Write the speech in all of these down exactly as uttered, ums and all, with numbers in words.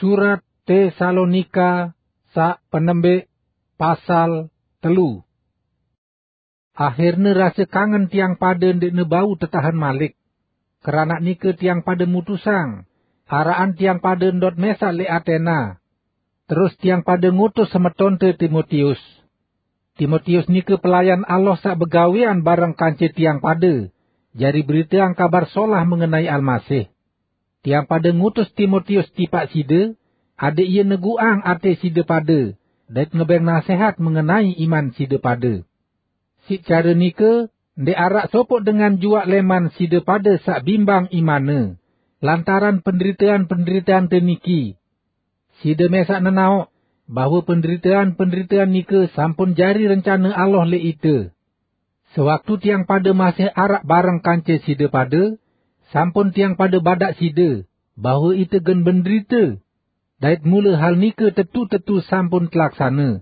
Surat Tesalonika sa' penembe', pasal telu. Ahirne rase kangen tiang pade nde'ne bau tetahen malik. Karana nike tiang pade mutusang, ara'an tiang pade ndot mesa' le' Atena. Terus tiang pade ngutus semetonte Timotius. Timotius nike pelayan Allah sa' begawean bareng kance tiang pade, jari beriteang Kabar Solah mengenai Almasih. Tiang pade ngutus Timotius tipa' side, ade' ie negu'ang ate side pade, dait ngebeng nasehat mengenai iman side pade. Si' care nike, nde' ara' sopo' dengan jua' leman side pade sa' bimbang imanne, lantaran penderitean-penderiteante niki. Side mesa' nenao' bahwe penderitean-penderitean nike sampun jari rencane Allah le' ite. Sewaktu tiang pade masih ara' bareng kance side pade, sampun tiang pade bada' side bahwe ite gen benderite, dait mule hal nike tetu-tetu sampun telaksane.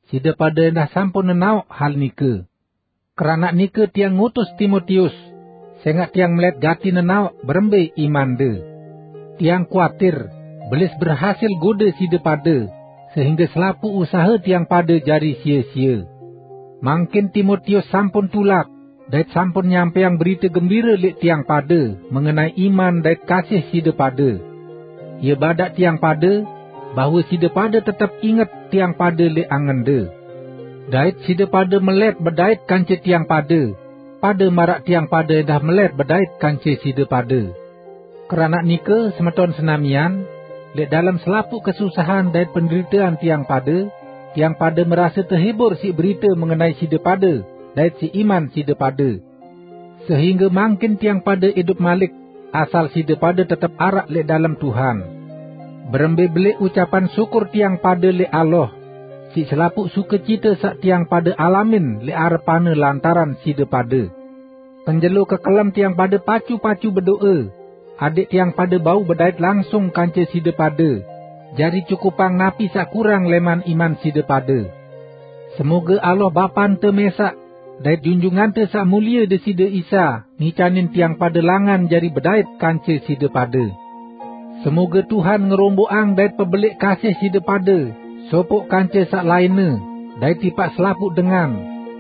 Side pade endah sampun nenao' hal nike. Karana nike tiang ngutus Timotius, senga' tiang melet gati nenao' berembe imande. Tiang kuatir, belis berhasil gode side pade, sehingge selapu' usahe tiang pade jari sie-sie. Mangkin Timotius sampun tulak, dait sampun nyampeang berite gembire le' tiang pade mengenai iman dait kasih side pade. Ie bada' tiang pade, bahwe side pade tetep inget tiang pade le' angende. Dait side pade melet bedait kance tiang pade, pade mara' tiang pade endah melet bedait kance side pade. Karana nike, semeton senamian, le' dalem selapu' kesusahan dait penderitean tiang pade, tiang pade merase tehibur si' berite mengenai side pade dait si' iman side pade. Sehingge mangkin tiang pade idup malik, asal side pade tetep ara' le' dalem Tuhan. Berembe bele' ucapan sukur tiang pade le' Allah, si' selapu' sukecite sa' tiang pade alamin le' arepanne lantaran side pade. Penjelo kekelem tiang pade pacu-pacu bedo'e, ade' tiang pade bau bedait langsung kance side pade, jari cukupang napi sa' kurang leman iman side pade. Semoge Allah Bapante mesa', dait Junjungante sa' mulie Deside Isa ngicanin tiang pade langan jari bedait kance side pade. Semoge Tuhan ngerombo'ang dait pebele' kasih side pade, sopo' kance sa' lainne, dait tipa' selapu' dengan,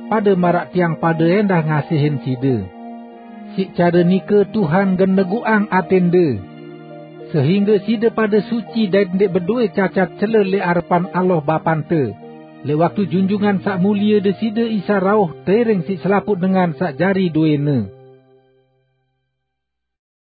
pade mara' tiang pade endah ngasihin side. Si' care nike Tuhan gen negu'ang atende, sehingge side pade suci dait nde' bedoe cacat cele le' arepan Allah Bapante, le' waktu Junjungan sa' mulie Deside Isa rauh tereng si' selapu' dengan sa' jari doene.